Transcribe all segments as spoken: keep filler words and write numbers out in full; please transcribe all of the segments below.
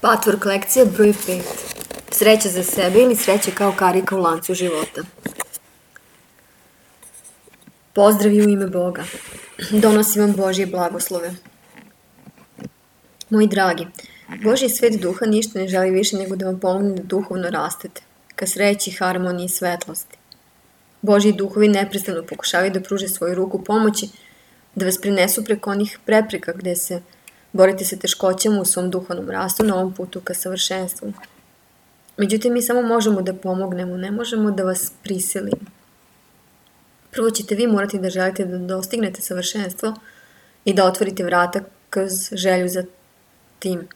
Patvork lekcija broj pet. Sreća za sebe ili sreća kao karika u lancu života. Pozdravi u ime Boga. Donosim vam Božje blagoslove. Moji dragi, Božji svet duha ništa ne želi više nego da vam pomogne da duhovno rastete, ka sreći, harmoniji i svetlosti. Božji duhovi neprestano pokušavaju da pruže svoju ruku pomoći, da vas prinesu preko onih prepreka gde se borite sa teškoćama u svom duhovnom rastu na ovom putu ka savršenstvu. Međutim, mi samo možemo da pomognemo, ne možemo da vas prisilimo. Prvo ćete vi morati da želite da dostignete savršenstvo i da otvorite vrata kroz želju za tim.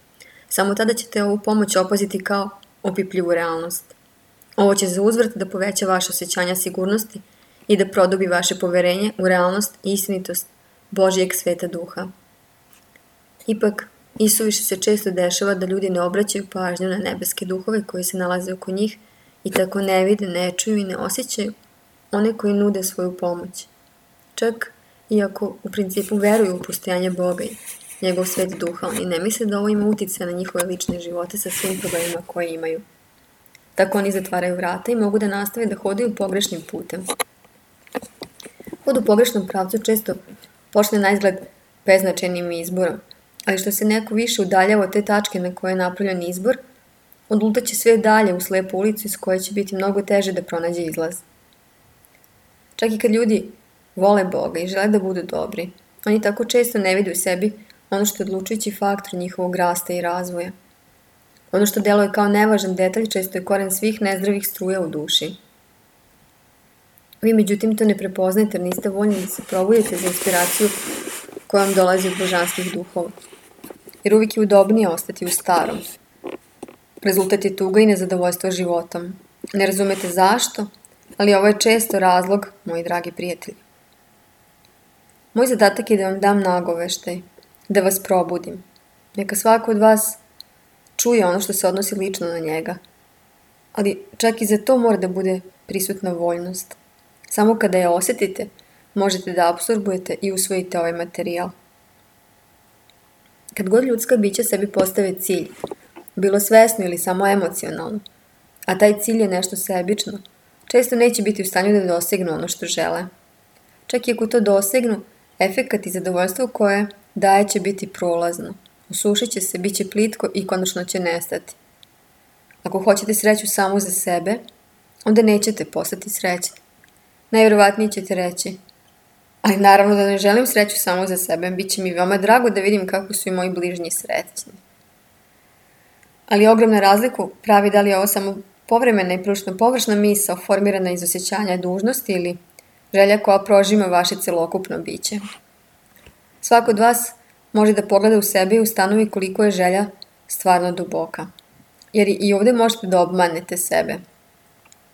Samo tada ćete ovu pomoć opaziti kao opipljivu realnost. Ovo će za uzvrat da poveća vaše osjećanja sigurnosti i da produbi vaše poverenje u realnost i istinitost Božjeg sveta duha. Ipak, isuviše se često dešava da ljudi ne obraćaju pažnju na nebeske duhove koji se nalaze oko njih i tako ne vide, ne čuju i ne osjećaju one koji nude svoju pomoć. Čak iako u principu veruju u postojanje Boga i njegov svet duha, oni ne misle da ovo ima uticaja na njihove lične živote sa svim problemima koje imaju. Tako oni zatvaraju vrata i mogu da nastave da hodaju pogrešnim putem. Hod u pogrešnom pravcu često počne na izgled beznačajnim izborom, ali što se neko više udaljava od te tačke na koje je napravljen izbor, odlutaće sve dalje u slepu ulicu iz koje će biti mnogo teže da pronađe izlaz. Čak i kad ljudi vole Boga i žele da budu dobri, oni tako često ne vide u sebi ono što je odlučujući faktor njihovog rasta i razvoja. Ono što deluje kao nevažan detalj često je koren svih nezdravih struja u duši. Vi međutim to ne prepoznajete jer niste voljni da se probudite za inspiraciju koja vam dolazi od božanskih duhova. Jer uvijek je udobnije ostati u starom. Rezultat je tuga i nezadovoljstvo životom. Ne razumete zašto, ali ovo je često razlog, moji dragi prijatelji. Moj zadatak je da vam dam nagoveštaj, da vas probudim. Neka svako od vas čuje ono što se odnosi lično na njega. Ali čak i za to mora da bude prisutna voljnost. Samo kada je osetite, možete da apsorbujete i usvojite ovaj materijal. Kad god ljudska bića sebi postave cilj, bilo svesno ili samo emocionalno, a taj cilj je nešto sebično, često neće biti u stanju da dosegnu ono što žele. Čak i ako to dosegnu, efekat i zadovoljstvo koje daje će biti prolazno. Usušit će se, bit će plitko i konačno će nestati. Ako hoćete sreću samo za sebe, onda nećete postati srećni. Najvjerovatnije ćete reći, ali naravno da ne želim sreću samo za sebe, bit će mi veoma drago da vidim kako su i moji bližnji srećni. Ali ogromna razliku pravi da li je ovo samo povremena i prilično površna misao formirana iz osjećanja dužnosti ili želja koja prožima vaše celokupno biće. Svako od vas može da pogleda u sebe i ustanovi koliko je želja stvarno duboka. Jer i ovdje možete da obmanete sebe.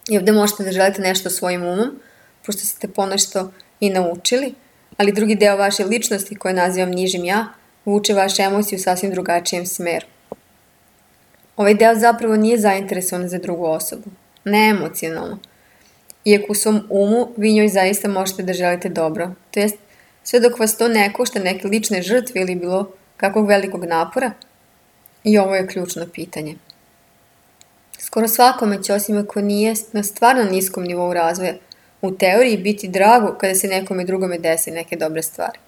I ovdje možete da želite nešto svojim umom, pošto ste ponešto i naučili, ali drugi deo vaše ličnosti, koje nazivam nižim ja, vuče vaše emocije u sasvim drugačijem smeru. Ovaj deo zapravo nije zainteresovan za drugu osobu, ne emocionalno. Iako u svom umu vi njoj zaista možete da želite dobro, to jest sve dok vas to ne košta neke lične žrtve ili bilo kakvog velikog napora, i ovo je ključno pitanje. Skoro svakome će, osim ako nije na stvarno niskom nivou razvoja, u teoriji biti drago kada se nekome drugome desi neke dobre stvari.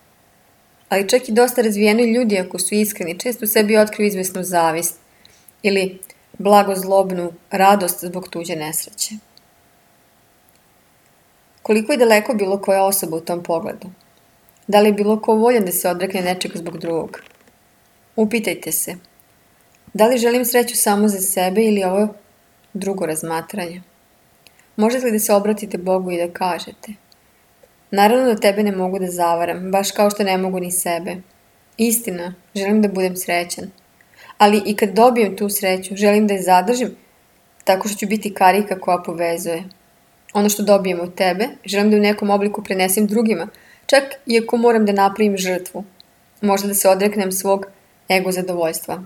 Ali čak i dosta razvijeni ljudi, ako su iskreni, često u sebi otkriju izvesnu zavist ili blagozlobnu radost zbog tuđe nesreće. Koliko je daleko bilo koja osoba u tom pogledu? Da li je bilo ko voljan da se odrekne nečega zbog drugog? Upitajte se, da li želim sreću samo za sebe ili ovo drugo razmatranje? Možete li da se obratite Bogu i da kažete, naravno da tebe ne mogu da zavaram, baš kao što ne mogu ni sebe. Istina, želim da budem srećan. Ali i kad dobijem tu sreću, želim da je zadržim tako što ću biti karika koja povezuje. Ono što dobijem od tebe, želim da u nekom obliku prenesem drugima, čak i ako moram da napravim žrtvu. Možda da se odreknem svog ego zadovoljstva.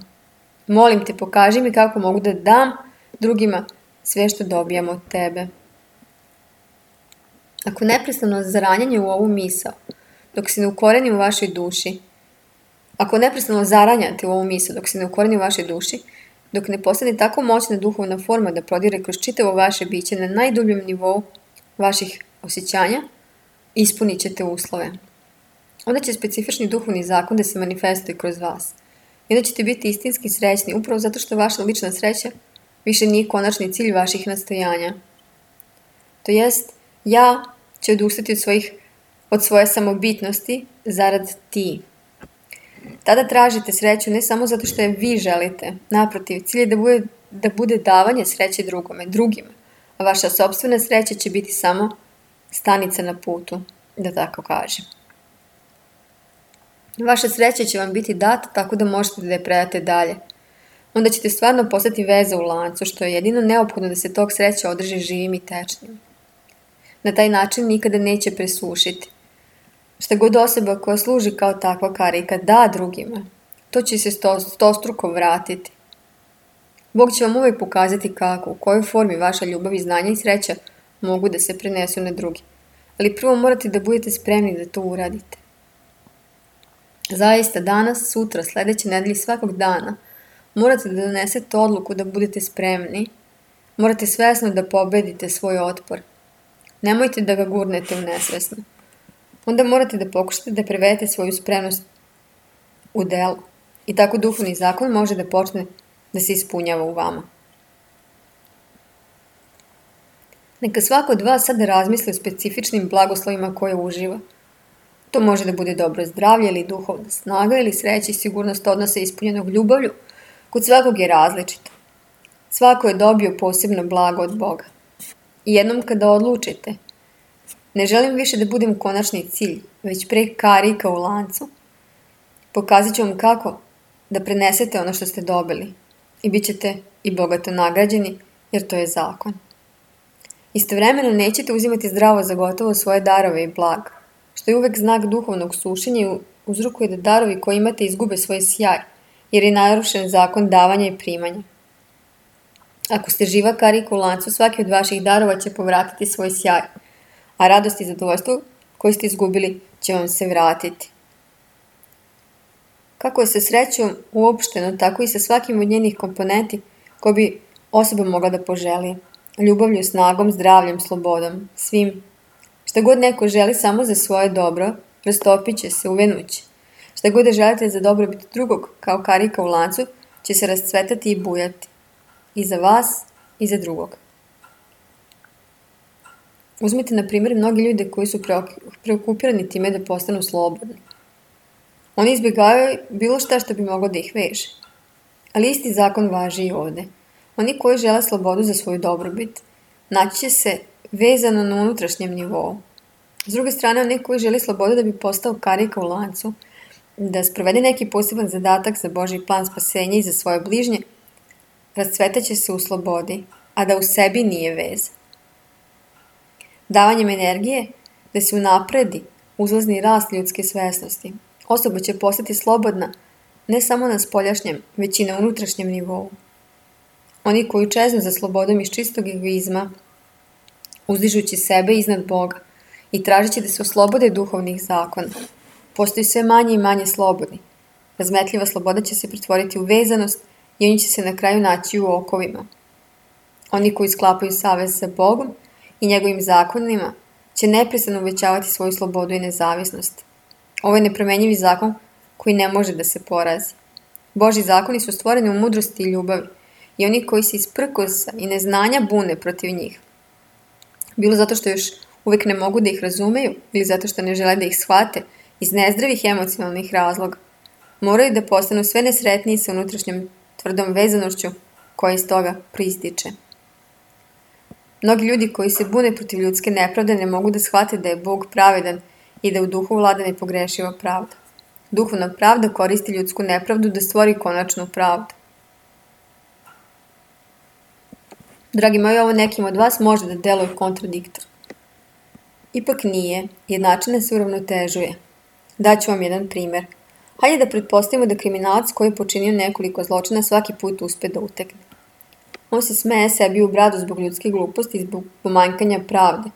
Molim te, pokaži mi kako mogu da dam drugima sve što dobijam od tebe. Ako neprestano zaranjanje u ovu misao, dok se ne ukorenim u vašoj duši, Ako neprestano zaranjate u ovu misl dok se ne ukoreni u vašoj duši, dok ne postane tako moćna duhovna forma da prodire kroz čitavo vaše biće na najdubljem nivou vaših osjećanja, ispunit ćete uslove. Onda će specifični duhovni zakon da se manifestuje kroz vas. I onda ćete biti istinski srećni, upravo zato što vaša lična sreća više nije konačni cilj vaših nastojanja. To jest, ja ću odustati od, svojih, od svoje samobitnosti zarad ti. Tada tražite sreću ne samo zato što je vi želite, naprotiv, cilj je da bude, da bude davanje sreće drugome, drugima, a vaša sopstvena sreća će biti samo stanica na putu, da tako kažem. Vaša sreća će vam biti data tako da možete da je predate dalje. Onda ćete stvarno postati veza u lancu, što je jedino neophodno da se tog sreća održi živim i tečnim. Na taj način nikada neće presušiti. Šta god osoba koja služi kao takva karika da drugima, to će se sto, stostruko vratiti. Bog će vam uvijek pokazati kako, u kojoj formi vaša ljubav i znanje i sreća mogu da se prenesu na drugi. Ali prvo morate da budete spremni da to uradite. Zaista danas, sutra, sledeće nedelje, svakog dana morate da donesete odluku da budete spremni. Morate svesno da pobedite svoj otpor. Nemojte da ga gurnete u nesvesno. Onda morate da pokušate da prevedete svoju spremnost u delo. I tako duhovni zakon može da počne da se ispunjava u vama. Neka svako od vas sada razmisli o specifičnim blagoslovima koje uživa. To može da bude dobro zdravlje ili duhovna snaga ili sreća i sigurnost odnosa ispunjenog ljubavlju. Kod svakog je različito. Svako je dobio posebno blago od Boga. I jednom kada odlučite, ne želim više da budem konačni cilj, već pre karika u lancu, pokazat ću vam kako da prenesete ono što ste dobili i bit ćete i bogato nagrađeni, jer to je zakon. Istovremeno nećete uzimati zdravo za gotovo svoje darove i blaga, što je uvek znak duhovnog sušenja i uzrokuje da darovi koje imate izgube svoj sjaj, jer je narušen zakon davanja i primanja. Ako ste živa karika u lancu, svaki od vaših darova će povratiti svoj sjaj, a radost i zadovoljstvo koje ste izgubili će vam se vratiti. Kako je sa srećom uopšteno, tako i sa svakim od njenih komponenti koje bi osoba mogla da poželi. Ljubavlju, snagom, zdravljem, slobodom, svim. Šta god neko želi samo za svoje dobro, rastopit će se, uvenuće. Šta god da želite za dobrobit drugog, kao karika u lancu, će se rascvetati i bujati. I za vas, i za drugog. Uzmite, na primjer, mnogi ljude koji su preokupirani time da postanu slobodni. Oni izbjegavaju bilo šta što bi moglo da ih veže. Ali isti zakon važi i ovde. Oni koji žele slobodu za svoju dobrobit, naći će se vezano na unutrašnjem nivou. S druge strane, oni koji žele slobodu da bi postao karika u lancu, da sprovede neki poseban zadatak za Božji plan spasenja i za svoje bližnje, rascvetaće se u slobodi, a da u sebi nije veza. Davanjem energije da se unapredi uzlazni rast ljudske svesnosti, osoba će postati slobodna ne samo na spoljašnjem, već i na unutrašnjem nivou. Oni koji čeznu za slobodom iz čistog egoizma, uzdižući sebe iznad Boga i tražeći da se oslobode duhovnih zakona, postaju sve manje i manje slobodni. Razmetljiva sloboda će se pretvoriti u vezanost i oni će se na kraju naći u okovima. Oni koji sklapaju savez sa Bogom i njegovim zakonima će neprestano uvećavati svoju slobodu i nezavisnost. Ovo je nepromenjivi zakon koji ne može da se porazi. Božji zakoni su stvoreni u mudrosti i ljubavi i oni koji se iz prkosa i neznanja bune protiv njih, bilo zato što još uvek ne mogu da ih razumeju ili zato što ne žele da ih shvate iz nezdravih emocionalnih razloga, moraju da postanu sve nesretniji sa unutrašnjom tvrdom vezanošću koja iz toga proističe. Mnogi ljudi koji se bune protiv ljudske nepravde ne mogu da shvate da je Bog pravedan i da u duhu vlada nepogrešiva pravda. Duhovna pravda koristi ljudsku nepravdu da stvori konačnu pravdu. Dragi moji, ovo nekim od vas može da deluje kontradiktorno. Ipak nije, jednačina se uravnotežuje. Daću vam jedan primer. Hajde da pretpostavimo da kriminalac koji je počinio nekoliko zločina svaki put uspe da utekne. On se smeje sebi u bradu zbog ljudske gluposti i zbog pomanjkanja pravde,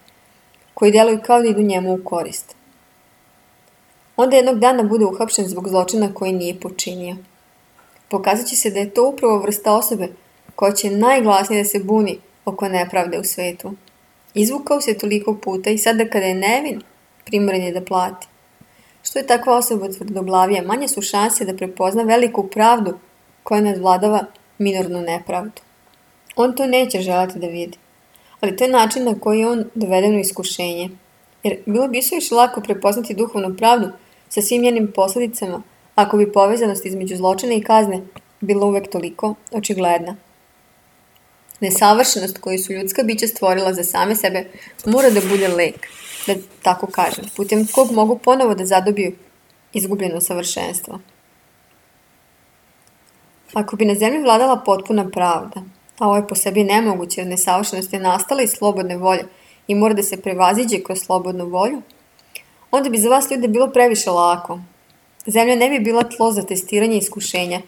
koji deluju kao da idu njemu u korist. onda jednog dana bude uhapšen zbog zločina koji nije počinio. Pokazat će se da je to upravo vrsta osobe koja će najglasnije da se buni oko nepravde u svetu. Izvukao se toliko puta i sada kada je nevin, primoran je da plati. Što je takva osoba tvrdoglavija, manje su šanse da prepozna veliku pravdu koja nadvladava minornu nepravdu. On to neće želati da vidi, ali to je način na koji je on doveden u iskušenje. Jer bilo bi suviše lako prepoznati duhovnu pravdu sa svim njenim posledicama ako bi povezanost između zločina i kazne bila uvek toliko očigledna. Nesavršenost koju su ljudska bića stvorila za same sebe mora da bude lek, da tako kažem, putem kog mogu ponovo da zadobiju izgubljeno savršenstvo. Ako bi na zemlji vladala potpuna pravda, a ovo je po sebi nemoguće jer nesavršenost je nastala iz slobodne volje i mora da se prevaziđe kroz slobodnu volju, onda bi za vas ljude bilo previše lako. Zemlja ne bi bila tlo za testiranje iskušenja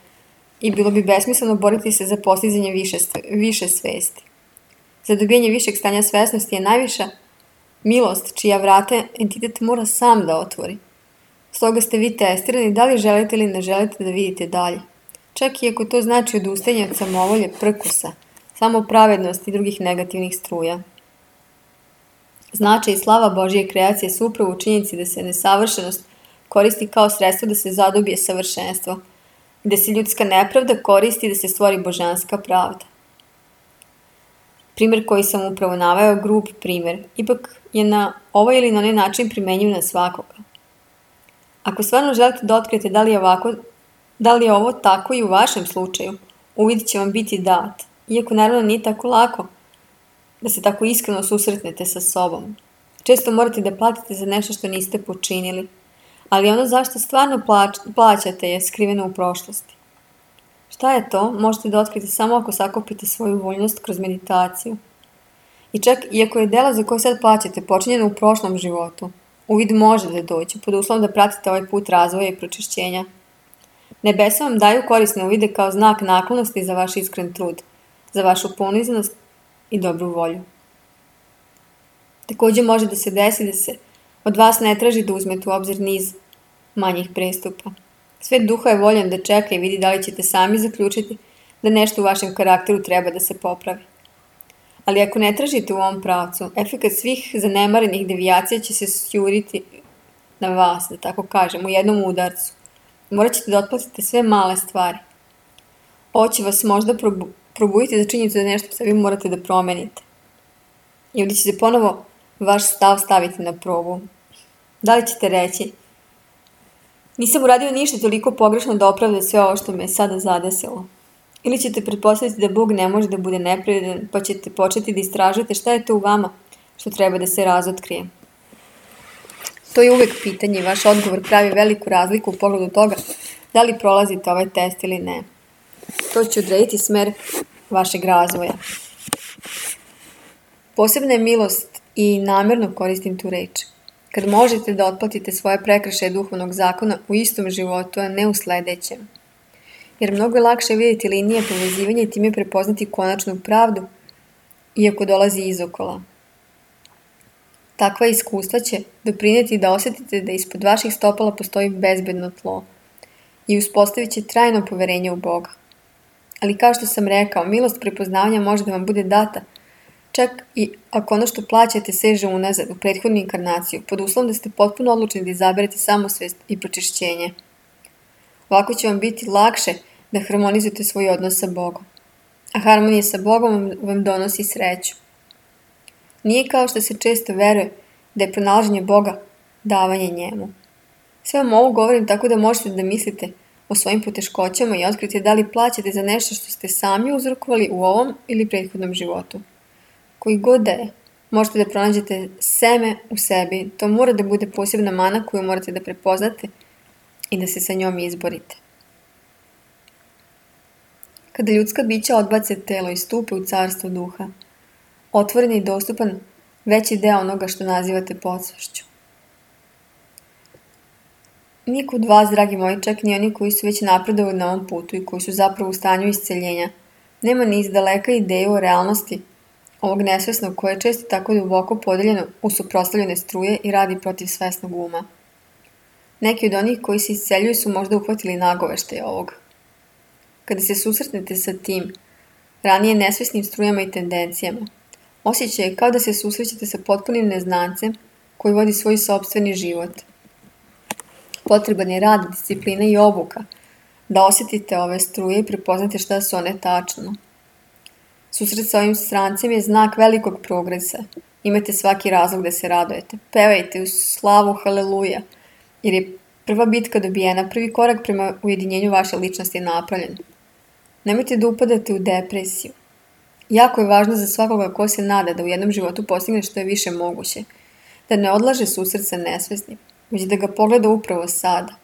i bilo bi besmisleno boriti se za postizanje više, više svesti. Za dobijanje višeg stanja svesnosti je najviša milost čija vrata entitet mora sam da otvori. Stoga ste vi testirani da li želite ili ne želite da vidite dalje. Čak i ako to znači odustajanje od samovolje, prkusa, samopravednosti i drugih negativnih struja. Značaj i slava Božje kreacije su upravo u činjenici da se nesavršenost koristi kao sredstvo da se zadobije savršenstvo, gde se ljudska nepravda koristi da se stvori božanska pravda. Primer koji sam upravo naveo, grub primer, ipak je na ovaj ili na onaj način primenjiv na svakoga. Ako stvarno želite da otkrijete da li je ovako, da li je ovo tako i u vašem slučaju, uvid će vam biti dat, iako naravno nije tako lako da se tako iskreno susretnete sa sobom. Često morate da platite za nešto što niste počinili, ali ono zašto stvarno plač, plaćate je skriveno u prošlosti. Šta je to? Možete da otkrijete samo ako sakupite svoju voljnost kroz meditaciju. I čak iako je delo za koje sad plaćate počinjeno u prošlom životu, uvid može da dođe pod uslovom da pratite ovaj put razvoja i pročišćenja. Nebesa vam daju korisne uvide kao znak naklonosti za vaš iskren trud, za vašu ponizanost i dobru volju. Također može da se desi da se od vas ne traži da uzmete u obzir niz manjih prestupa. Svet duha je voljan da čeka i vidi da li ćete sami zaključiti da nešto u vašem karakteru treba da se popravi. Ali ako ne tražite u ovom pravcu, efekat svih zanemarenih devijacija će se sjuriti na vas, da tako kažem, u jednom udarcu. Morat ćete da otplatite sve male stvari. Ovo će vas možda probu probuditi za činjenicu da nešto sebi morate da promenite. I ovdje će se ponovo vaš stav staviti na probu. Da li ćete reći: nisam uradio ništa toliko pogrešno da opravda sve ovo što me je sada zadesilo? Ili ćete pretpostaviti da Bog ne može da bude nepravedan, pa ćete početi da istražujete šta je to u vama što treba da se razotkrije? To je uvek pitanje i vaš odgovor pravi veliku razliku u pogledu toga da li prolazite ovaj test ili ne. To će odrediti smer vašeg razvoja. Posebna je milost i namjerno koristim tu reč. Kad možete da otplatite svoje prekršaje duhovnog zakona u istom životu, a ne u sledećem. Jer mnogo je lakše vidjeti linije povezivanja i time prepoznati konačnu pravdu, iako dolazi izokola. Takva iskustva će doprinijeti da osjetite da ispod vaših stopala postoji bezbedno tlo i uspostavit će trajno poverenje u Boga. Ali kao što sam rekao, milost prepoznavanja može da vam bude data, čak i ako ono što plaćate seže unazad u prethodnu inkarnaciju, pod uslovom da ste potpuno odlučni da izaberete samosvest i pročišćenje. Ovako će vam biti lakše da harmonizujete svoj odnos sa Bogom. A harmonija sa Bogom vam donosi sreću. Nije kao što se često veruje da je pronalaženje Boga davanje njemu. Sve vam ovo govorim tako da možete da mislite o svojim poteškoćama i otkrite da li plaćate za nešto što ste sami uzrokovali u ovom ili prethodnom životu. Koji god da je, možete da pronađete seme u sebi. To mora da bude posebna mana koju morate da prepoznate i da se sa njom izborite. Kada ljudska bića odbace telo i stupe u carstvo duha, otvoren i dostupan veći deo onoga što nazivate podsvešću. Niko od vas, dragi moji, čak ni oni koji su već napredovali na ovom putu i koji su zapravo u stanju isceljenja, nema ni izdaleka ideju o realnosti ovog nesvesnog koje je često tako duboko podeljeno u suprotstavljene struje i radi protiv svesnog uma. Neki od onih koji se isceljuju su možda uhvatili nagoveštaj ovoga. Kada se susretnete sa tim, ranije nesvesnim strujama i tendencijama, osjećaj je kao da se susrećete sa potpunim neznancem koji vodi svoj sopstveni život. Potreban je rad, disciplina i obuka da osjetite ove struje i prepoznate šta su one tačno. Susret sa ovim strancem je znak velikog progresa. Imate svaki razlog da se radujete. Pevajte u slavu haleluja, jer je prva bitka dobijena, prvi korak prema ujedinjenju vaše ličnosti je napravljen. Nemojte da upadate u depresiju. Jako je važno za svakoga ko se nada da u jednom životu postigne što je više moguće, da ne odlaže susret sa nesvesnim, već da ga pogleda upravo sada.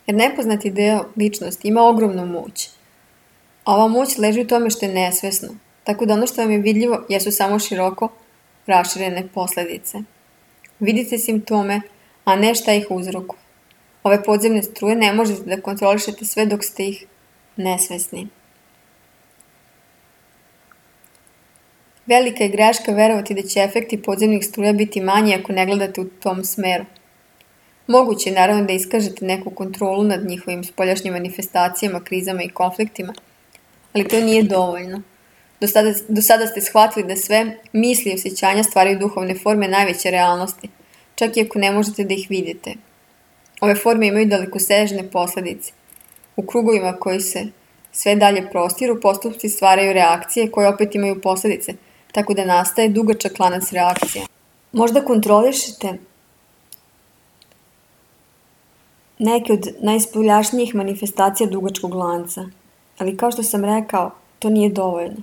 Jer nepoznati deo ličnosti ima ogromnu moć. A ova moć leži u tome što je nesvesno, tako da ono što vam je vidljivo jesu samo široko raširene posledice. Vidite simptome, a ne šta ih uzrokuje. Ove podzemne struje ne možete da kontrolišete sve dok ste ih nesvesni. Velika je greška verovati da će efekti podzemnih struja biti manji ako ne gledate u tom smeru. Moguće je naravno da iskažete neku kontrolu nad njihovim spoljašnjim manifestacijama, krizama i konfliktima, ali to nije dovoljno. Do sada, do sada ste shvatili da sve misli i osjećanja stvaraju duhovne forme najveće realnosti, čak i ako ne možete da ih vidite. Ove forme imaju dalekosežne posledice. U krugovima koji se sve dalje prostiru, postupci stvaraju reakcije koje opet imaju posledice, tako da nastaje dugačak lanac reakcija. Možda kontrolišete neke od najspoljašnijih manifestacija dugačkog lanca, ali kao što sam rekao, to nije dovoljno.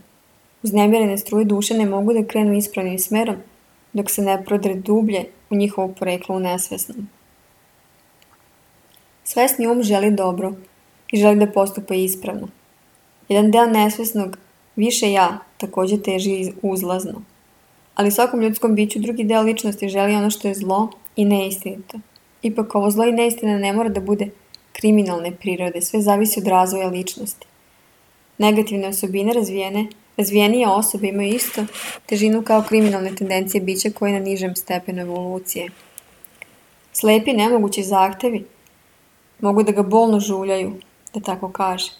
Uznemirene struje duše ne mogu da krenu ispravnim smerom dok se ne prodre dublje u njihovo poreklo u nesvesnom. Svesni um želi dobro i želi da postupa ispravno. Jedan deo nesvesnog, više ja, također teži uzlazno. Ali svakom ljudskom biću drugi deo ličnosti želi ono što je zlo i neistinito. Ipak ovo zlo i neistina ne mora da bude kriminalne prirode, sve zavisi od razvoja ličnosti. Negativne osobine razvijene, razvijenije osobe imaju isto težinu kao kriminalne tendencije bića koje je na nižem stepenu evolucije. Slepi nemogući zahtevi mogu da ga bolno žuljaju, da tako kaže.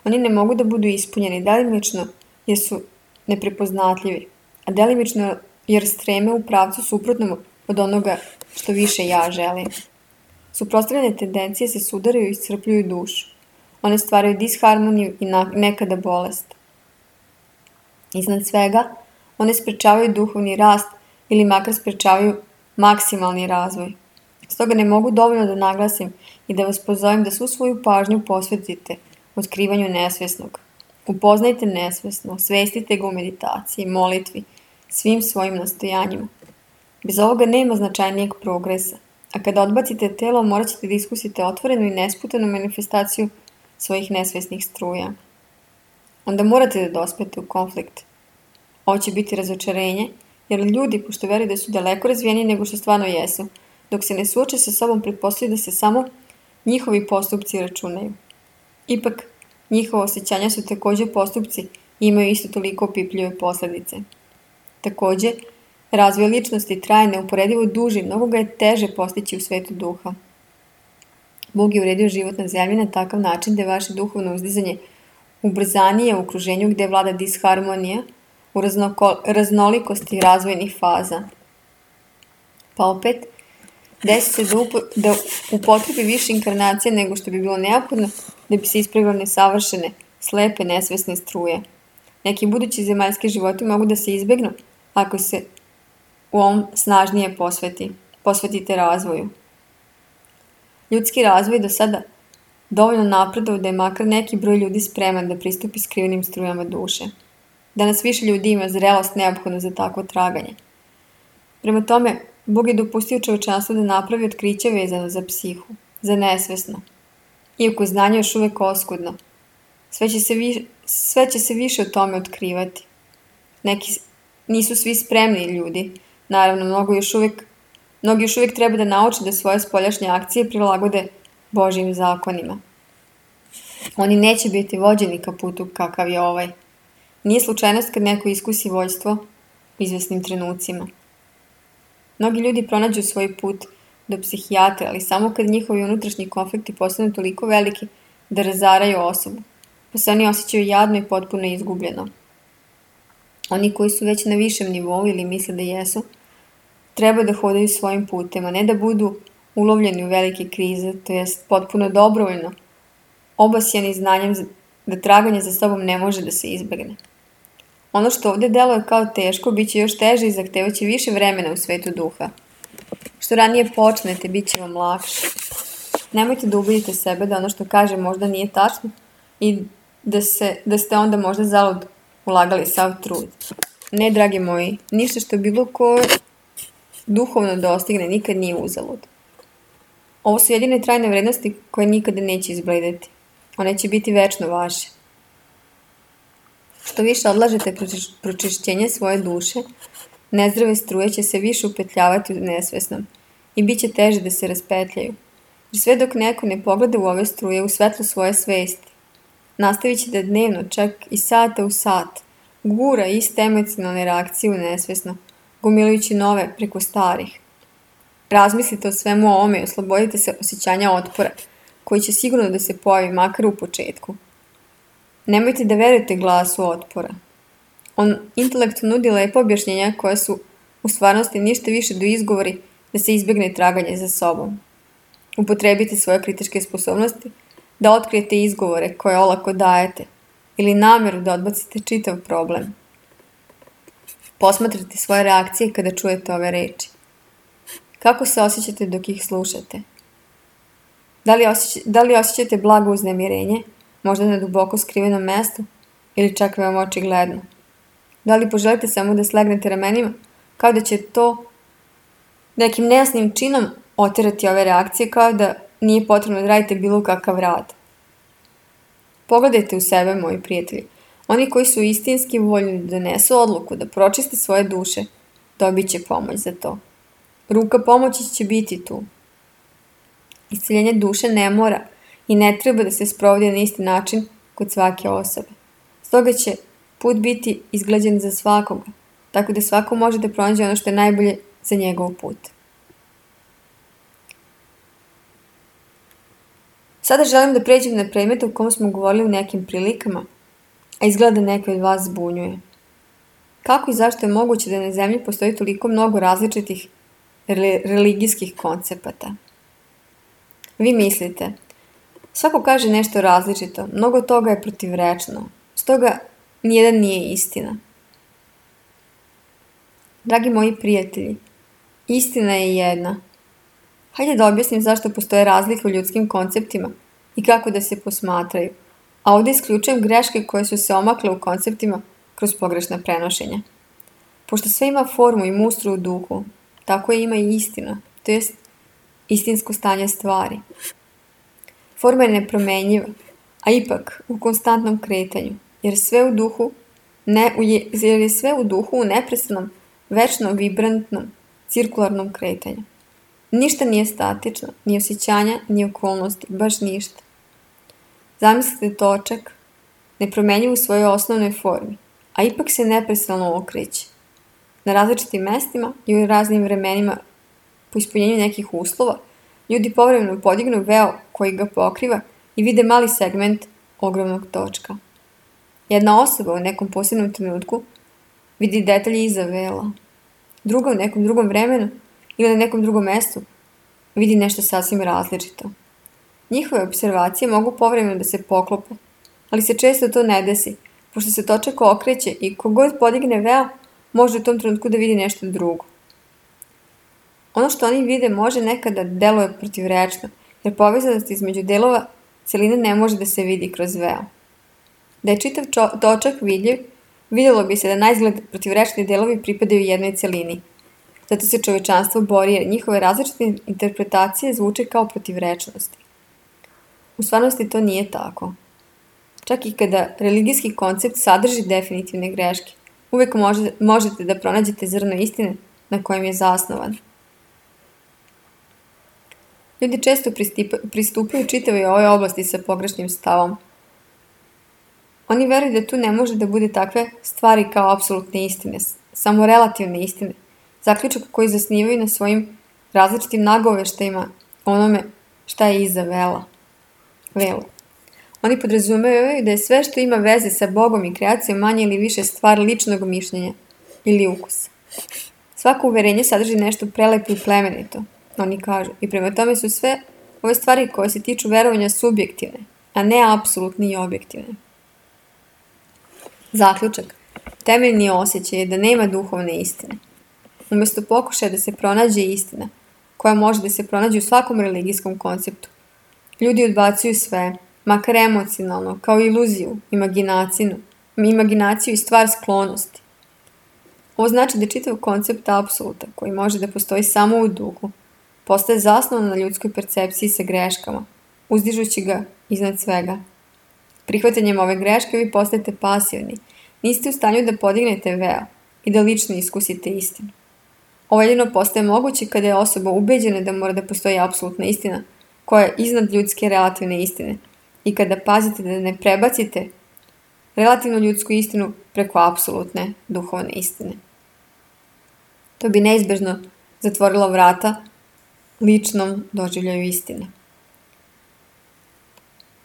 Oni ne mogu da budu ispunjeni delimično jer su neprepoznatljivi, a delimično jer streme u pravcu suprotnom od onoga što više ja želim. Suprotstavljene tendencije se sudaraju i iscrpljuju dušu. One stvaraju disharmoniju i nekada bolest. Iznad svega, one sprečavaju duhovni rast ili makar sprečavaju maksimalni razvoj. Stoga ne mogu dovoljno da naglasim i da vas pozovem da svu svoju pažnju posvetite otkrivanju nesvesnog. Upoznajte nesvesno, svestite ga u meditaciji, molitvi, svim svojim nastojanjima. Bez ovoga nema značajnijeg progresa, a kada odbacite telo morat ćete da iskusite otvorenu i nesputanu manifestaciju svojih nesvesnih struja. Onda morate da dospete u konflikt. Ovo će biti razočarenje, jer ljudi, pošto veruju da su daleko razvijeniji nego što stvarno jesu, dok se ne suoče sa sobom, pretpostavljaju da se samo njihovi postupci računaju. Ipak, njihova osjećanja su također postupci i imaju isto toliko opipljive posljedice. Također, razvoj ličnosti traje neuporedivo duži, mnogo ga je teže postići u svetu duha. Bog je uredio život na zemlji na takav način da je vaše duhovno uzdizanje ubrzanije u okruženju gdje vlada disharmonija u raznoko, raznolikosti razvojnih faza. Pa opet, desi se da, upo, da upotrebi više inkarnacije nego što bi bilo neophodno da bi se ispravilo nesavršene, slepe, nesvesne struje. Neki budući zemaljski životi mogu da se izbegnu ako se u ovom snažnije posveti, posvetite razvoju. Ljudski razvoj do sada dovoljno napredovao da je makar neki broj ljudi spreman da pristupi skrivenim strujama duše. Danas više ljudi ima zrelost neophodno za takvo traganje. Prema tome, Bog je dopustio čovečanstvu da napravi otkriće vezano za psihu, za nesvesno. Iako znanje još uvek oskudno, sve će se, vi, sve će se više o tome otkrivati. Neki nisu svi spremni ljudi, naravno mnogo još uvek, mnogi još uvijek treba da nauče da svoje spoljašnje akcije prilagode Božjim zakonima. Oni neće biti vođeni ka putu kakav je ovaj. Nije slučajnost kad neko iskusi vođstvo u izvesnim trenucima. Mnogi ljudi pronađu svoj put do psihijatra, ali samo kad njihovi unutrašnji konflikti postanu toliko veliki da razaraju osobu, pa se oni osjećaju jadno i potpuno izgubljeno. Oni koji su već na višem nivou ili misle da jesu, treba da hodaju svojim putem, a ne da budu ulovljeni u velike krize, to jest potpuno dobrovoljno, obasjani znanjem da traganje za sobom ne može da se izbegne. Ono što ovdje deluje kao teško, bit će još teže i zahtevaće više vremena u svetu duha. Što ranije počnete, bit će vam lakše. Nemojte da ubedite sebe da ono što kaže možda nije tačno i da, se, da ste onda možda zalud ulagali sav trud. Ne, dragi moji, ništa što bilo ko duhovno dostigne nikad nije uzalud. Ovo su jedine trajne vrednosti koje nikada neće izbledeti. One će biti večno vaše. Što više odlažete pročišćenje svoje duše, nezdrave struje će se više upetljavati u nesvesnom i bit će teže da se raspetljaju. Jer sve dok neko ne pogleda u ove struje u svetlu svoje svesti, nastavit će da dnevno, čak i sata u sat, gura iste emocionalne reakcije u nesvesno, gomilujući nove preko starih. Razmislite o svemu ovome i oslobodite se osjećanja otpora, koji će sigurno da se pojavi makar u početku. Nemojte da verujete glasu otpora. On intelektu nudi lepo objašnjenja koja su u stvarnosti ništa više do izgovori da se izbjegne traganje za sobom. Upotrebite svoje kritičke sposobnosti da otkrijete izgovore koje olako dajete ili namjeru da odbacite čitav problem. Posmatrajte svoje reakcije kada čujete ove reči. Kako se osjećate dok ih slušate? Da li, osjeća, da li osjećate blago uznemirenje, možda na duboko skrivenom mestu ili čak veoma očigledno? Da li poželite samo da slegnete ramenima, kao da će to nekim nejasnim činom oterati ove reakcije, kao da nije potrebno da radite bilo kakav rad? Pogledajte u sebe, moji prijatelji. Oni koji su istinski voljni da donesu odluku, da pročiste svoje duše, dobit će pomoć za to. Ruka pomoći će biti tu. Isceljenje duše ne mora i ne treba da se sprovodi na isti način kod svake osobe. Stoga će put biti izgleđen za svakoga, tako da svako može da pronađe ono što je najbolje za njegov put. Sada želim da pređem na predmet o kom smo govorili u nekim prilikama, a izgleda neke od vas zbunjuje. Kako i zašto je moguće da na zemlji postoji toliko mnogo različitih religijskih koncepata? Vi mislite, svako kaže nešto različito, mnogo toga je protivrečno, stoga nijedan nije istina. Dragi moji prijatelji, istina je jedna. Hajde da objasnim zašto postoje razlike u ljudskim konceptima i kako da se posmatraju, a ovdje isključujem greške koje su se omakle u konceptima kroz pogrešna prenošenja. Pošto sve ima formu i mustru u duhu, tako je ima i istina, to jest istinsko stanje stvari. Forma je nepromenjiva, a ipak u konstantnom kretanju, jer sve u duhu, ne, jer je sve u duhu u neprestanom, večnom, vibrantnom, cirkularnom kretanju. Ništa nije statično, ni osjećanja, ni okolnosti, baš ništa. Zamislite točak, nepromenjiv u svojoj osnovnoj formi, a ipak se neprestano okreće. Na različitim mestima i u raznim vremenima po ispunjenju nekih uslova, ljudi povremeno podignu veo koji ga pokriva i vide mali segment ogromnog točka. Jedna osoba u nekom posebnom trenutku vidi detalje iza vela. Druga u nekom drugom vremenu ili na nekom drugom mestu vidi nešto sasvim različito. Njihove observacije mogu povremeno da se poklope, ali se često to ne desi, pošto se točak okreće i kogod podigne veo može u tom trenutku da vidi nešto drugo. Ono što oni vide može nekada deluje protivrečno, jer povezanost između delova celine ne može da se vidi kroz veo. Da je čitav čo- točak vidljiv, vidjelo bi se da naizgled protivrečni delovi pripadaju jednoj celini. Zato se čovečanstvo bori jer njihove različite interpretacije zvuče kao protivrečnosti. U stvarnosti to nije tako. Čak i kada religijski koncept sadrži definitivne greške, uvijek može, možete da pronađete zrno istine na kojem je zasnovan. Ljudi često pristipa, pristupaju čitavoj ovoj oblasti sa pogrešnim stavom. Oni veruju da tu ne može da bude takve stvari kao apsolutne istine, samo relativne istine, zaključak koji zasnivaju na svojim različitim nagoveštajima onome šta je iza vela. Vela. Oni podrazumevaju da je sve što ima veze sa Bogom i kreacijom manje ili više stvar ličnog mišljenja ili ukusa. Svako uverenje sadrži nešto prelepo i plemenito, oni kažu, i prema tome su sve ove stvari koje se tiču verovanja subjektivne, a ne apsolutne i objektivne. Zaključak. Temeljni osjećaj je da nema duhovne istine. Umesto pokušaja da se pronađe istina, koja može da se pronađe u svakom religijskom konceptu, ljudi odbacuju sve, makar emocionalno, kao iluziju, imaginaciju, imaginaciju i stvar sklonosti. Ovo znači da čitav koncept apsoluta, koji može da postoji samo u duhu, postaje zasnovan na ljudskoj percepciji sa greškama, uzdižući ga iznad svega. Prihvatanjem ove greške vi postajete pasivni, niste u stanju da podignete veo i da lično iskusite istinu. Ovo jedino postaje moguće kada je osoba ubeđena da mora da postoji apsolutna istina, koja je iznad ljudske relativne istine, i kada pazite da ne prebacite relativnu ljudsku istinu preko apsolutne duhovne istine. To bi neizbežno zatvorilo vrata ličnom doživljaju istine.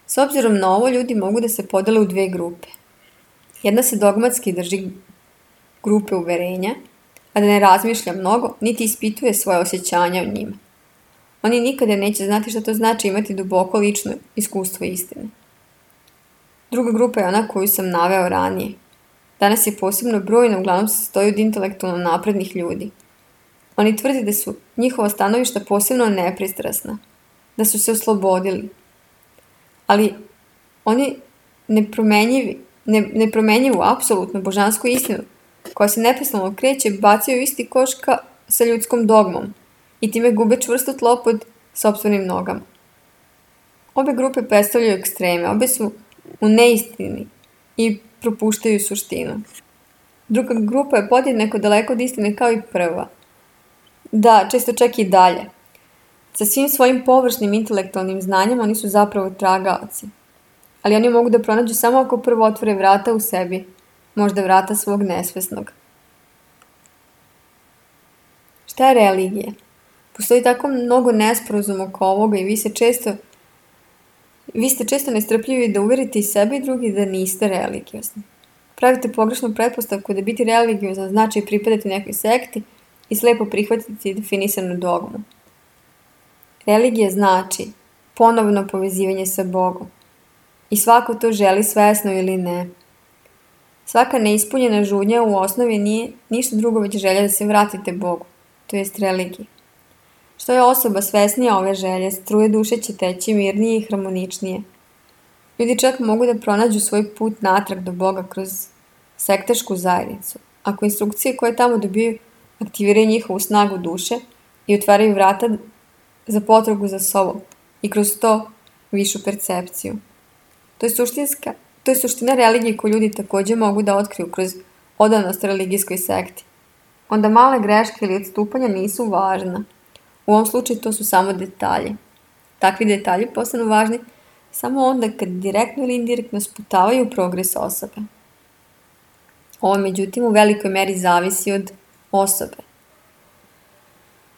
S obzirom na ovo, ljudi mogu da se podele u dve grupe. Jedna se dogmatski drži grupe uverenja, a da ne razmišlja mnogo, niti ispituje svoje osjećanja o njima. Oni nikada neće znati šta to znači imati duboko lično iskustvo istine. Druga grupa je ona koju sam naveo ranije. Danas je posebno brojna, uglavnom se sastoji od intelektualno naprednih ljudi. Oni tvrde da su njihova stanovišta posebno nepristrasna, da su se oslobodili. Ali oni nepromenjivi, ne, nepromenjivu, apsolutnu božansku istinu, koja se neprestano kreće, bacaju u isti koš ka, sa ljudskom dogmom i time gube čvrsto tlo pod sopstvenim nogama. Obe grupe predstavljaju ekstreme, obe su u neistini i propuštaju suštinu. Druga grupa je podjednako daleko od istine kao i prva. Da, često čak i dalje. Sa svim svojim površnim intelektualnim znanjem oni su zapravo tragaoci. Ali oni mogu da pronađu samo ako prvo otvore vrata u sebi, možda vrata svog nesvesnog. Šta je religija? Postoji tako mnogo nesporazuma oko ovoga i vi se često vi ste često nestrpljivi da uverite i sebe i drugi da niste religiozni. Pravite pogrešnu pretpostavku da biti religiozan znači pripadati nekoj sekti i slepo prihvatiti definisanu dogmu. Religija znači ponovno povezivanje sa Bogom. I svako to želi svesno ili ne. Svaka neispunjena žudnja u osnovi nije ništa drugo već želja da se vratite Bogu, to jest religiji. Što je osoba svesnija ove želje, struje duše će teći mirnije i harmoničnije. Ljudi čak mogu da pronađu svoj put natrag do Boga kroz sektašku zajednicu, ako instrukcije koje tamo dobiju aktiviraju njihovu snagu duše i otvaraju vrata za potragu za sobom i kroz to višu percepciju. To je suštinska, to je suština religije koju ljudi također mogu da otkriju kroz odanost religijskoj sekti. Onda male greške ili odstupanja nisu važna. U ovom slučaju to su samo detalji. Takvi detalji postanu važni samo onda kad direktno ili indirektno sputavaju progres osobe. Ovo, međutim, u velikoj meri zavisi od osobe.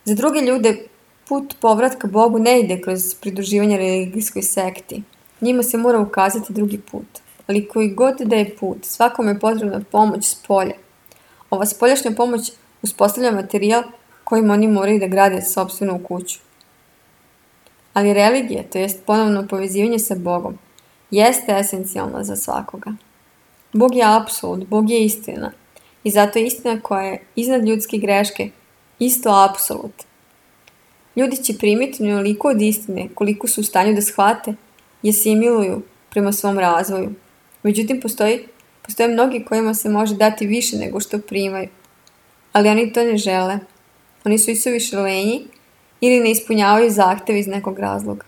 Za druge ljude put povratka Bogu ne ide kroz pridruživanje religijskoj sekti. Njima se mora ukazati drugi put. Ali koji god da je put, svakome je potrebna pomoć s polja. Ova spoljašnja pomoć uspostavlja materijal kojim oni moraju da grade sopstvenu kuću. Ali religija, to jest ponovno povezivanje sa Bogom, jeste esencijalna za svakoga. Bog je apsolut, Bog je istina. I zato je istina koja je iznad ljudske greške isto apsolut. Ljudi će primiti onoliko od istine koliko su u stanju da shvate i asimiluju prema svom razvoju. Međutim, postoji, postoje mnogi kojima se može dati više nego što primaju. Ali oni to ne žele. Oni su isuviše lenji ili ne ispunjavaju zahteve iz nekog razloga.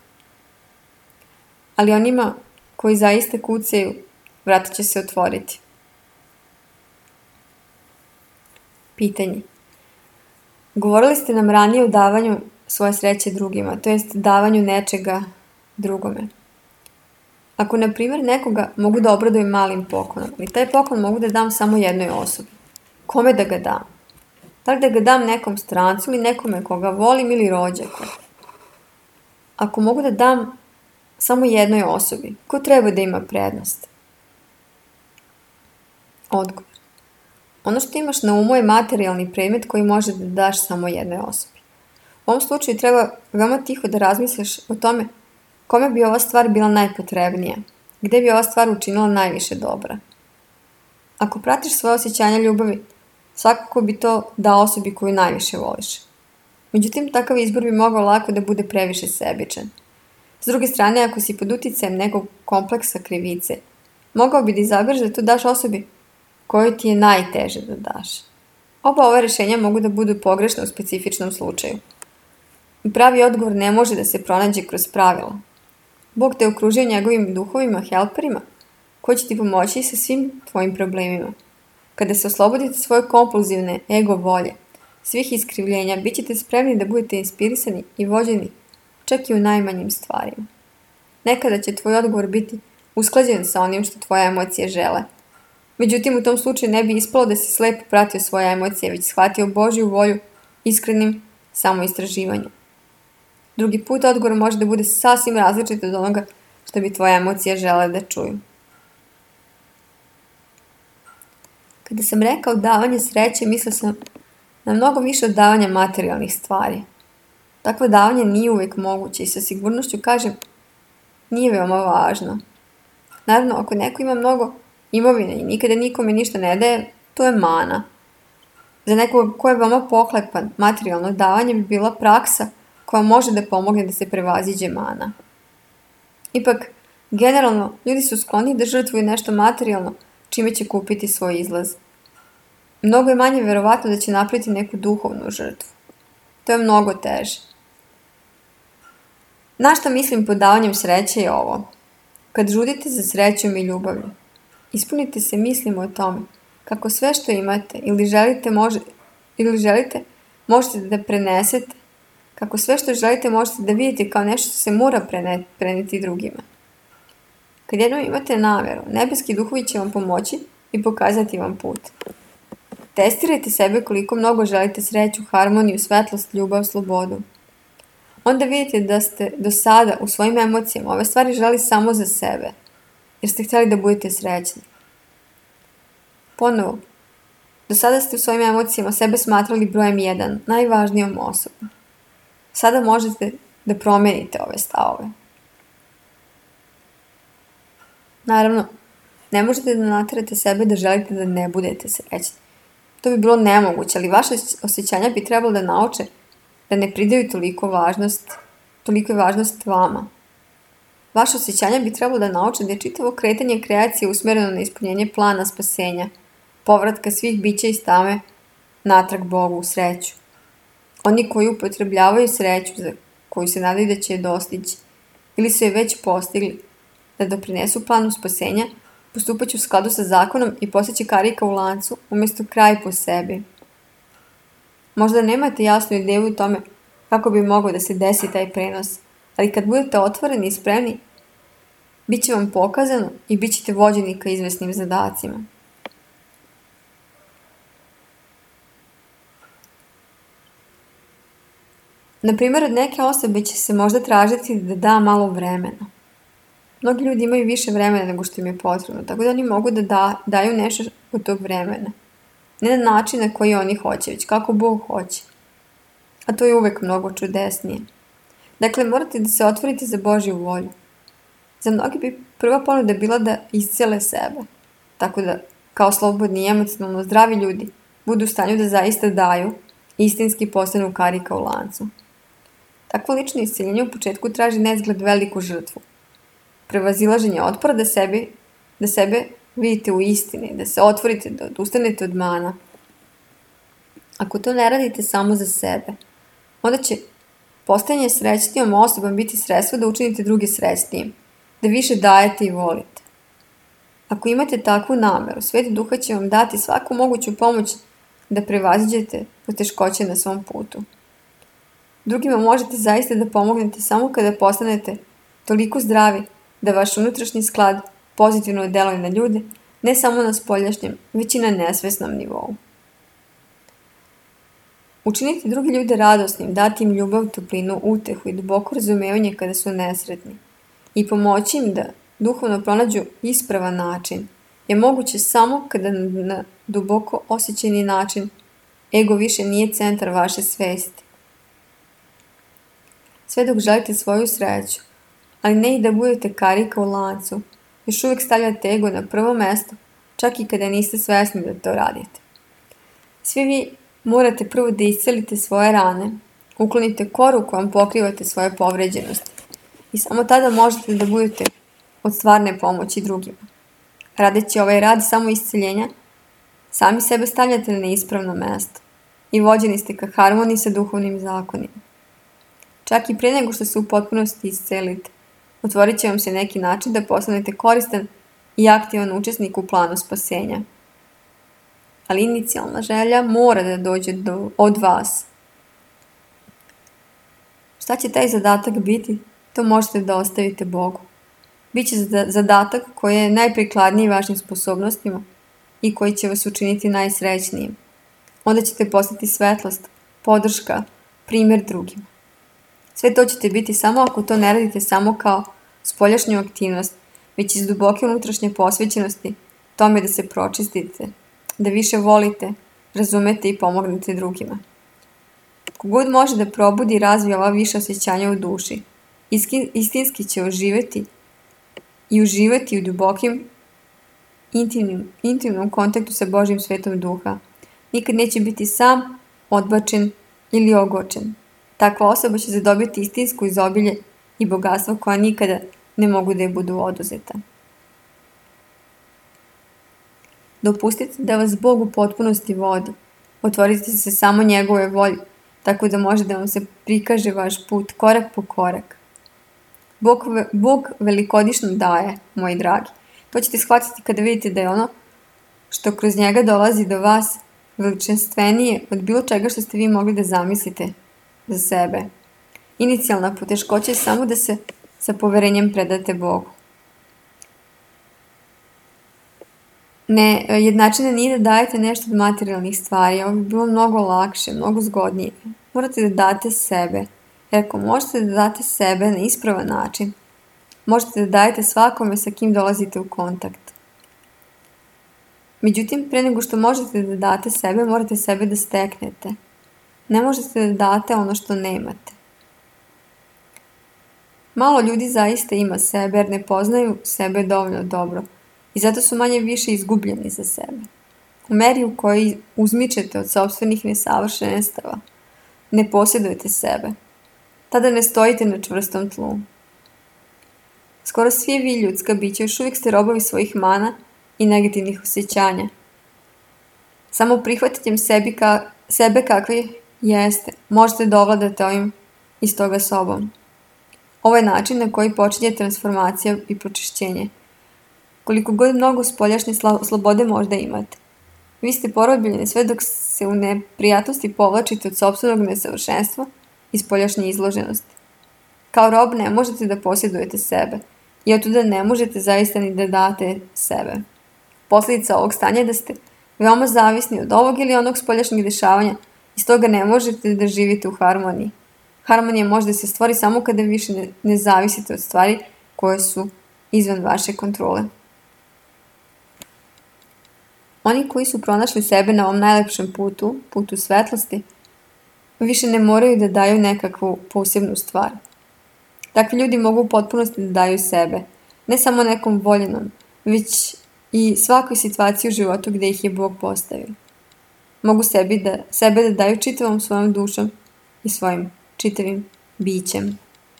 Ali onima koji zaista kucaju, vrata će se otvoriti. Pitanje. Govorili ste nam ranije o davanju svoje sreće drugima, to jest davanju nečega drugome. Ako, na primjer, nekoga mogu da obradujem malim poklonom, ali taj poklon mogu da dam samo jednoj osobi, kome da ga dam? Da li da ga dam nekom strancu ili nekome koga volim ili rođaku? Ako mogu da dam samo jednoj osobi, ko treba da ima prednost? Odgovor. Ono što imaš na umu je materijalni predmet koji može da daš samo jednoj osobi. U ovom slučaju treba veoma tiho da razmisliš o tome kome bi ova stvar bila najpotrebnija, gde bi ova stvar učinila najviše dobra. Ako pratiš svoje osjećanja ljubavi, svakako bi to dao osobi koju najviše voliš. Međutim, takav izbor bi mogao lako da bude previše sebičan. S druge strane, ako si pod uticajem nekog kompleksa krivice, mogao bi da izabereš da to daš osobi kojoj ti je najteže da daš. Oba ova rešenja mogu da budu pogrešna u specifičnom slučaju. I pravi odgovor ne može da se pronađe kroz pravila. Bog te okružio njegovim duhovima, helperima, koji će ti pomoći sa svim tvojim problemima. Kada se oslobodite svoje kompulzivne ego volje, svih iskrivljenja, bit ćete spremni da budete inspirisani i vođeni, čak i u najmanjim stvarima. Nekada će tvoj odgovor biti usklađen sa onim što tvoje emocije žele. Međutim, u tom slučaju ne bi ispalo da si slepo pratio svoje emocije, već shvatio Božju volju iskrenim samoistraživanjem. Drugi put odgovor može da bude sasvim različit od onoga što bi tvoje emocije žele da čuju. Kada sam rekao davanje sreće, mislio sam na mnogo više od davanja materijalnih stvari. Takvo davanje nije uvijek moguće i sa sigurnošću kažem, nije veoma važno. Naravno, ako neko ima mnogo imovine i nikada nikome ništa ne daje, to je mana. Za nekog ko je veoma pohlepan, materijalno davanje bi bila praksa koja može da pomogne da se prevaziđe mana. Ipak, generalno, ljudi su skloni da žrtvuju nešto materijalno, čime će kupiti svoj izlaz. Mnogo je manje verovatno da će napraviti neku duhovnu žrtvu. To je mnogo teže. Na šta mislim pod davanjem sreće je ovo. Kad žudite za srećom i ljubavlju, ispunite se mislima o tome kako sve što imate ili želite, može, ili želite možete da prenesete, kako sve što želite možete da vidite kao nešto što se mora prene, preneti drugima. Kad jednom imate nameru, nebeski duhovi će vam pomoći i pokazati vam put. Testirajte sebe koliko mnogo želite sreću, harmoniju, svetlost, ljubav, slobodu. Onda vidite da ste do sada u svojim emocijama ove stvari želi samo za sebe, jer ste htjeli da budete srećni. Ponovo, do sada ste u svojim emocijama sebe smatrali brojem jedan, najvažnijom osobom. Sada možete da promenite ove stavove. Naravno, ne možete da naterate sebe da želite da ne budete srećni. To bi bilo nemoguće, ali vaše osjećanja bi trebalo da nauče da ne pridaju toliko važnost, toliko je važnost vama. Vaše osjećanja bi trebalo da nauče da je čitavo kretanje kreacije usmjereno na ispunjenje plana spasenja, povratka svih bića iz tame natrag Bogu u sreću. Oni koji upotrebljavaju sreću za koju se nadaju da će je dostići ili su je već postigli, da doprinesu planu spasenja, postupaće u skladu sa zakonom i postaće karika u lancu umjesto kraj po sebi. Možda nemate jasnu ideju o tome kako bi mogao da se desi taj prenos, ali kad budete otvoreni i spremni, bit će vam pokazano i bit ćete vođeni ka izvesnim zadacima. Na primjer, od neke osobe će se možda tražiti da da malo vremena. Mnogi ljudi imaju više vremena nego što im je potrebno, tako da oni mogu da, da daju nešto od tog vremena. Ne na način na koji oni hoće, već kako Bog hoće. A to je uvek mnogo čudesnije. Dakle, morate da se otvorite za Božju volju. Za mnogi bi prva ponuda bila da iscele sebe, tako da, kao slobodni i emocionalno zdravi ljudi, budu u stanju da zaista daju, istinski postanu karika u lancu. Takvo lično isceljenje u početku traži neizgled veliku žrtvu. Prevazilaženje otpora da, sebi, da sebe vidite u istini, da se otvorite, da odustanete od mana. Ako to ne radite samo za sebe, onda će postajanje srećnijom osobom biti sredstvo da učinite druge srećnijim, da više dajete i volite. Ako imate takvu nameru, Sveti Duha će vam dati svaku moguću pomoć da prevaziđete poteškoće na svom putu. Drugima možete zaista da pomognete samo kada postanete toliko zdravi da vaš unutrašnji sklad pozitivno deluje na ljude, ne samo na spoljašnjem, već i na nesvesnom nivou. Učiniti drugi ljude radosnim, dati im ljubav, toplinu, utehu i duboko razumevanje kada su nesretni i pomoći im da duhovno pronađu ispravan način je moguće samo kada na duboko osjećajni način ego više nije centar vaše svesti. Sve dok želite svoju sreću, ali ne i da budete karika u lancu, još uvijek stavljate ego na prvo mesto, čak i kada niste svesni da to radite. Svi vi morate prvo da iscelite svoje rane, uklonite koru kojom pokrivate svoje povređenosti i samo tada možete da budete od stvarne pomoći drugima. Radeći ovaj rad samo isceljenja, sami sebe stavljate na neispravno mesto i vođeni ste ka harmoniji sa duhovnim zakonima. Čak i prije nego što se u potpunosti iscelite, otvorit će vam se neki način da postanete koristan i aktivan učesnik u planu spasenja. Ali inicijalna želja mora da dođe do, od vas. Šta će taj zadatak biti, to možete da ostavite Bogu. Biće zadatak koji je najprikladniji vašim sposobnostima i koji će vas učiniti najsrećnijim. Onda ćete postati svetlost, podrška, primjer drugima. Sve to ćete biti samo ako to ne radite samo kao spoljašnju aktivnost, već iz duboke unutrašnje posvećenosti tome da se pročistite, da više volite, razumete i pomognete drugima. Kogod može da probudi i razvije ova viša osjećanja u duši, istinski će oživeti i uživati u dubokim, intimnim, intimnom kontaktu sa Božjim svetom duha. Nikad neće biti sam, odbačen ili ogočen. Takva osoba će zadobiti istinsku izobilje i bogatstvo koja nikada ne mogu da je budu oduzeta. Dopustite da vas Bog u potpunosti vodi. Otvorite se samo njegove volje, tako da može da vam se prikaže vaš put korak po korak. Bog, Bog velikodišno daje, moji dragi. To ćete shvatiti kada vidite da je ono što kroz njega dolazi do vas veličanstvenije od bilo čega što ste vi mogli da zamislite za sebe. Inicijalna poteškoća je samo da se sa poverenjem predate Bogu. Ne, jednačina nije da dajete nešto od materijalnih stvari, ovo bi bilo mnogo lakše, mnogo zgodnije. Morate da date sebe, jer ako možete da date sebe na ispravan način, možete da dajete svakome sa kim dolazite u kontakt. Međutim, pre nego što možete da date sebe, morate sebe da steknete. Ne možete da date ono što nemate. Malo ljudi zaista ima sebe jer ne poznaju sebe dovoljno dobro i zato su manje više izgubljeni za sebe. U meri u kojoj uzmičete od sopstvenih nesavršenstava, ne posjedujete sebe. Tada ne stojite na čvrstom tlu. Skoro svi vi ljudska bića još uvijek ste robovi svojih mana i negativnih osjećanja. Samo prihvatanjem sebi ka, sebe kakvi jeste, možete da ovladate ovim iz toga sobom. Ovo je način na koji počinje transformacija i pročišćenje. Koliko god mnogo spoljašnje slobode možda imate. Vi ste porobljeni sve dok se u neprijatnosti povlačite od sopstvenog nesavršenstva i spoljašnje izloženosti. Kao rob ne možete da posjedujete sebe i otuda ne možete zaista ni da date sebe. Posljedica ovog stanja je da ste veoma zavisni od ovog ili onog spoljašnjeg dešavanja i stoga ne možete da živite u harmoniji. Harmonija može da se stvori samo kada više ne, ne zavisite od stvari koje su izvan vaše kontrole. Oni koji su pronašli sebe na ovom najlepšem putu, putu svetlosti, više ne moraju da daju nekakvu posebnu stvar. Takvi ljudi mogu u potpunosti da daju sebe, ne samo nekom voljenom, već i svakoj situaciji u životu gdje ih je Bog postavio. Mogu sebi da, sebe da daju čitavom svojom dušom i svojim čitavim bićem.